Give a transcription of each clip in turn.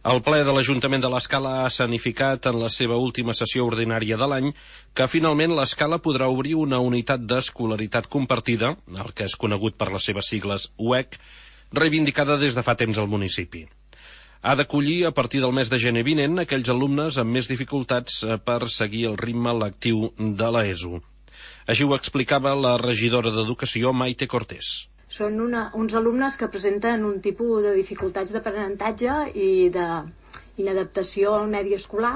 El ple de l'Ajuntament de l'Escala ha escenificat en la seva última sessió ordinària de l'any que finalment l'Escala podrà obrir una unitat d'escolaritat compartida, el que és conegut per les seves sigles UEC, reivindicada des de fa temps al municipi. Ha d'acollir a partir del mes de gener vinent aquells alumnes amb més dificultats per seguir el ritme lectiu de l'ESO. Així ho explicava la regidora d'Educació, Maite Cortés. Són uns alumnes que presenten un tipus de dificultats d'aprenentatge i d'inadaptació al medi escolar,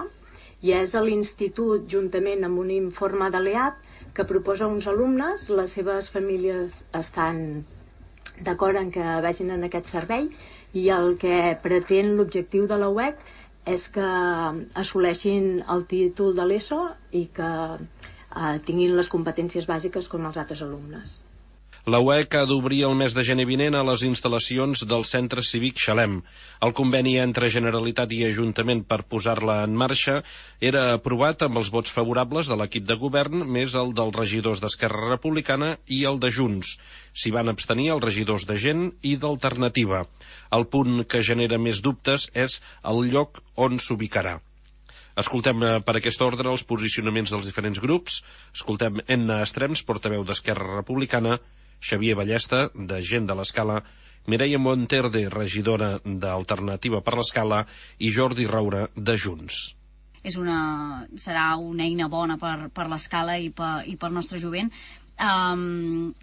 i és l'Institut, juntament amb un informe de l'EAP, que proposa uns alumnes. Les seves famílies estan d'acord en que vagin en aquest servei, i el que pretén l'objectiu de la UEC és que assoleixin el títol de l'ESO i que tinguin les competències bàsiques com els altres alumnes. La UEC ha d'obrir el mes de gener vinent a les instal·lacions del Centre Cívic Xalem. El conveni entre Generalitat i Ajuntament per posar-la en marxa era aprovat amb els vots favorables de l'equip de govern, més el dels regidors d'Esquerra Republicana i el de Junts. S'hi van abstenir els regidors de Gent i d'Alternativa. El punt que genera més dubtes és el lloc on s'ubicarà. Escoltem per aquest ordre els posicionaments dels diferents grups. Escoltem Enna Estrems, portaveu d'Esquerra Republicana, Xavier Ballesta, de Gent de l'Escala, Mireia Monterde, regidora d'Alternativa per l'Escala, i Jordi Roura, de Junts. Serà una eina bona per l'Escala i pel nostre jovent.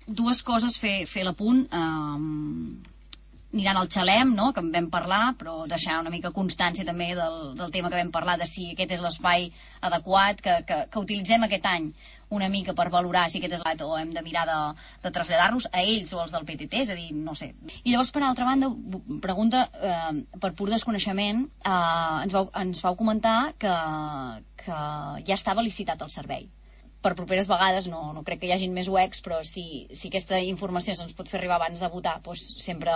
Dues coses, fer l'apunt. Aniran al Xalem, no?, que en vam parlar, però deixar una mica constància també del tema que vam parlar, de si aquest és l'espai adequat, que utilitzem aquest any una mica per valorar si aquest és l'adequat o hem de mirar de traslladar-nos a ells o als del PTT, és a dir, no sé. I llavors, per altra banda, pregunta, per pur desconeixement, ens vau comentar que ja estava licitat el servei. Per properes vegades, no crec que hi hagin més UECs, però si aquesta informació se'ns pot fer arribar abans de votar, doncs sempre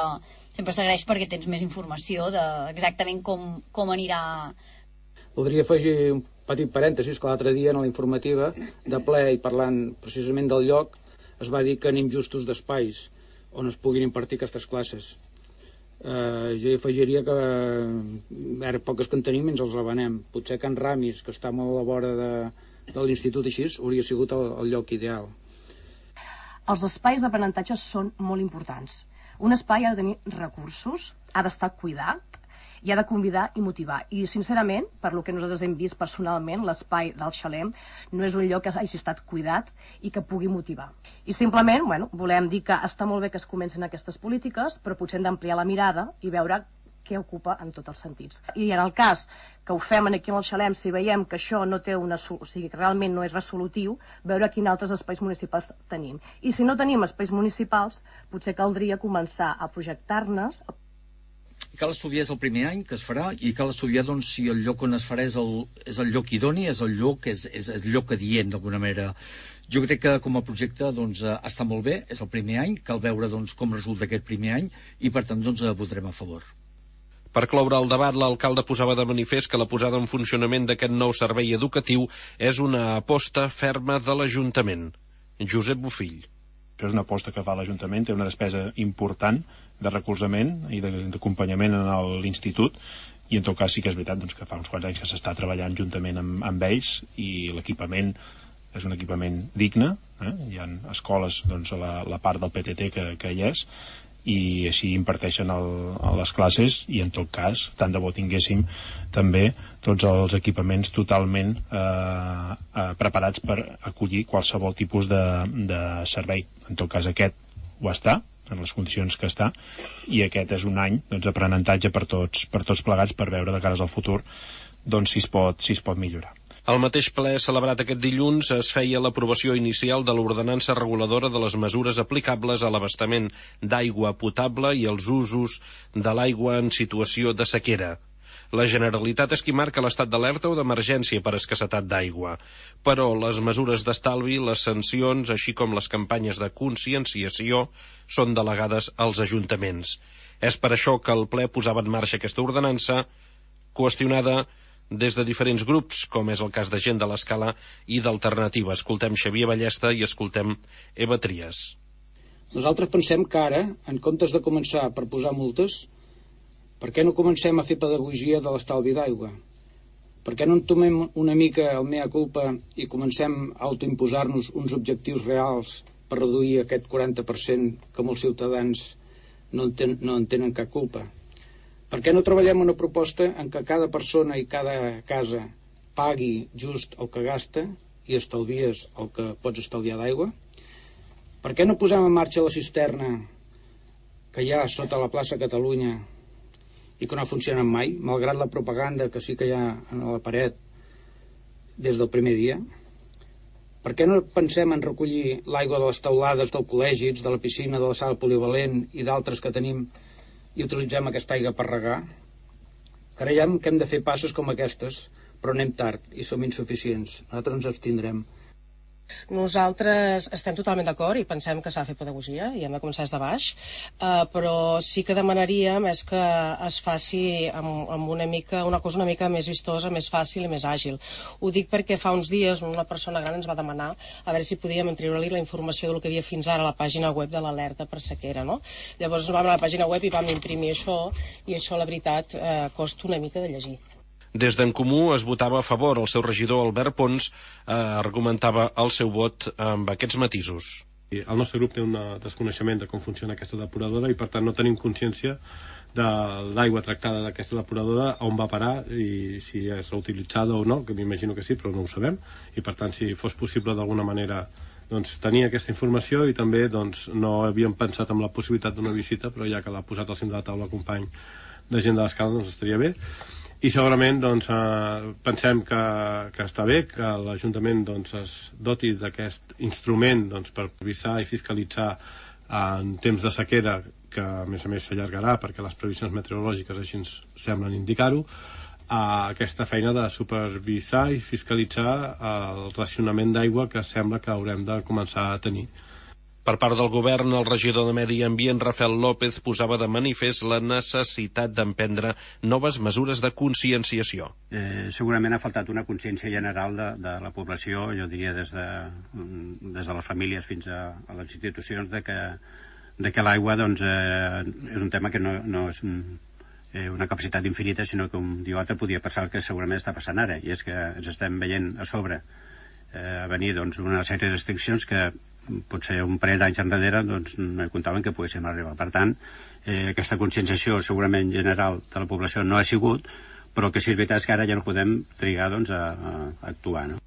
s'agraeix, perquè tens més informació d'exactament com anirà. Voldria afegir un petit parèntesis, que l'altre dia en la informativa de ple, i parlant precisament del lloc, es va dir que anem justos d'espais on es puguin impartir aquestes classes. Jo afegiria que ara poques que en tenim ens els revenem. Potser Can Ramis, que està molt a la vora de l'institut, així hauria sigut el lloc ideal. Els espais d'aprenentatge són molt importants. Un espai ha de tenir recursos, ha d'estar cuidat i ha de convidar i motivar. I sincerament, per lo que nosaltres hem vist personalment, l'espai del Xalem no és un lloc que hagi estat cuidat i que pugui motivar. I simplement, volem dir que està molt bé que es comencen aquestes polítiques, però potser hem d'ampliar la mirada i veure què ocupa en tots els sentits. I en el cas que ho fem aquí al Xalem, si veiem que això no té que realment no és resolutiu, veure quins altres espais municipals tenim. I si no tenim espais municipals, potser caldria començar a projectar-ne. Cal estudiar el primer any que es farà, i cal estudiar si el lloc on es farà és el lloc idoni, és el lloc adient d'alguna manera. Jo crec que com a projecte està molt bé, és el primer any, cal veure com resulta aquest primer any, i per tant votarem a favor. Per cloure el debat, l'alcalde posava de manifest que la posada en funcionament d'aquest nou servei educatiu és una aposta ferma de l'Ajuntament. Josep Bofill. Això és una aposta que fa l'Ajuntament, té una despesa important de recolzament i d'acompanyament a l'institut, i en tot cas sí que és veritat que fa uns quants anys que s'està treballant juntament amb ells, i l'equipament és un equipament digne, hi ha escoles a la part del PTT que hi és, i així imparteixen les classes, i en tot cas tant de bo tinguéssim també tots els equipaments totalment preparats per acollir qualsevol tipus de servei. En tot cas aquest ho està, en les condicions que està, i aquest és un any d'aprenentatge per tots plegats, per veure de cares al futur si es pot millorar. Al mateix ple celebrat aquest dilluns es feia l'aprovació inicial de l'ordenança reguladora de les mesures aplicables a l'abastament d'aigua potable i els usos de l'aigua en situació de sequera. La Generalitat és qui marca l'estat d'alerta o d'emergència per escassetat d'aigua, però les mesures d'estalvi, les sancions, així com les campanyes de conscienciació, són delegades als ajuntaments. És per això que el ple posava en marxa aquesta ordenança, qüestionada des de diferents grups, com és el cas de Gent de l'Escala i d'Alternativa. Escoltem Xavier Ballesta i escoltem Eva Trias. Nosaltres pensem que ara, en comptes de començar per posar multes, Per què no comencem a fer pedagogia de l'estalvi d'aigua? Per què no entomem una mica el mea culpa i comencem a autoimposar-nos uns objectius reals per reduir aquest 40% que molts ciutadans no en tenen cap culpa? Per què no treballem una proposta en què cada persona i cada casa pagui just el que gasta i estalvies el que pots estalviar d'aigua? Per què no posem en marxa la cisterna que hi ha sota la plaça Catalunya i que no ha funcionat mai, malgrat la propaganda que sí que hi ha a la paret des del primer dia? Per què no pensem en recollir l'aigua de les teulades del col·legi, de la piscina, de la sala polivalent i d'altres que tenim i utilitzem aquesta aigua per regar? Creiem que hem de fer passes com aquestes, però anem tard i som insuficients. Nosaltres ens abstindrem. Nosaltres estem totalment d'acord i pensem que s'ha de fer pedagogia i hem de començar des de baix, però sí que demanaríem és que es faci amb una cosa una mica més vistosa, més fàcil i més àgil. Ho dic perquè fa uns dies una persona gran ens va demanar a veure si podíem treure-li la informació del que havia fins ara a la pàgina web de l'alerta per sequera, no? Llavors vam anar a la pàgina web i vam imprimir això, i això la veritat costa una mica de llegir. Des d'en Comú es votava a favor. El seu regidor, Albert Pons, argumentava el seu vot amb aquests matisos. El nostre grup té un desconeixement de com funciona aquesta depuradora i per tant no tenim consciència de l'aigua tractada d'aquesta depuradora, on va parar i si és reutilitzada o no, que m'imagino que sí, però no ho sabem, i per tant si fos possible d'alguna manera tenir aquesta informació. I també no havíem pensat en la possibilitat d'una visita, però ja que l'ha posat al cim de la taula el company de Gent de l'Escala, estaria bé. I segurament pensem que està bé que l'Ajuntament es doti d'aquest instrument per revisar i fiscalitzar en temps de sequera, que a més s'allargarà perquè les previsions meteorològiques així ens semblen indicar-ho, aquesta feina de supervisar i fiscalitzar el racionament d'aigua que sembla que haurem de començar a tenir. Per part del govern, el regidor de Medi Ambient, Rafael López, posava de manifest la necessitat d'emprendre noves mesures de conscienciació. Segurament ha faltat una consciència general de la població, jo diria des de les famílies fins a les institucions, de que l'aigua és un tema que no és una capacitat infinita, sinó que un dia o altre podria passar el que segurament està passant ara, i és que ens estem veient a sobre venir una sèrie de restriccions que potser un parell d'anys enrere no comptaven que poguéssim arribar. Per tant, aquesta conscienciació segurament general de la població no ha sigut, però que sí és veritat que ara ja no podem trigar a actuar, no?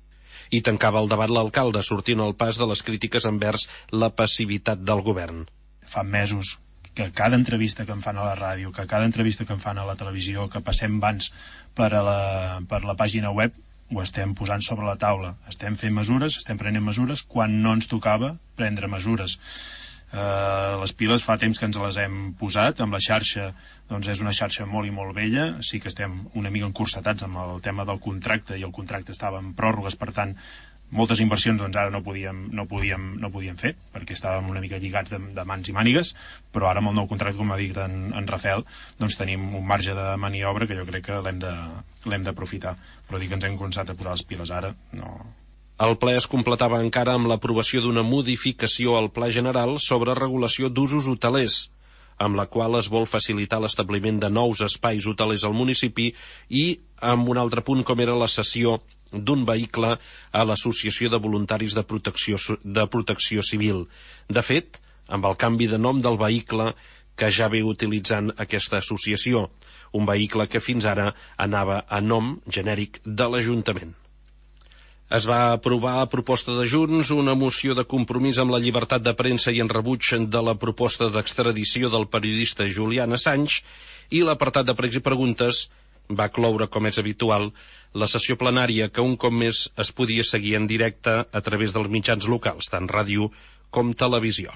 I tancava el debat l'alcalde, sortint al pas de les crítiques envers la passivitat del govern. Fa mesos que cada entrevista que em fan a la ràdio, que cada entrevista que em fan a la televisió, que passem abans per la pàgina web, ho estem posant sobre la taula. Estem fent mesures, estem prenent mesures quan no ens tocava prendre mesures. Les piles fa temps que ens les hem posat. Amb la xarxa, és una xarxa molt i molt vella. Sí que estem una mica encursetats amb el tema del contracte, i el contracte estava en pròrrogues, per tant moltes inversions ara no podíem fer, perquè estàvem una mica lligats de mans i mànigues, però ara amb el nou contracte, com ha dit en Rafael, tenim un marge de maniobra que jo crec que l'hem d'aprofitar. Però dir que ens hem començat a posar les piles ara, no. El ple es completava encara amb l'aprovació d'una modificació al Pla General sobre regulació d'usos hotelers, amb la qual es vol facilitar l'establiment de nous espais hotelers al municipi, i amb un altre punt com era la cessió d'un vehicle a l'Associació de Voluntaris de Protecció Civil. De fet, amb el canvi de nom del vehicle que ja ve utilitzant aquesta associació, un vehicle que fins ara anava a nom genèric de l'Ajuntament. Es va aprovar a proposta de Junts una moció de compromís amb la llibertat de premsa i en rebuig de la proposta d'extradició del periodista Julian Assange, i l'apartat de pregs i preguntes va cloure, com és habitual, la sessió plenària, que un cop més es podia seguir en directe a través dels mitjans locals, tant ràdio com televisió.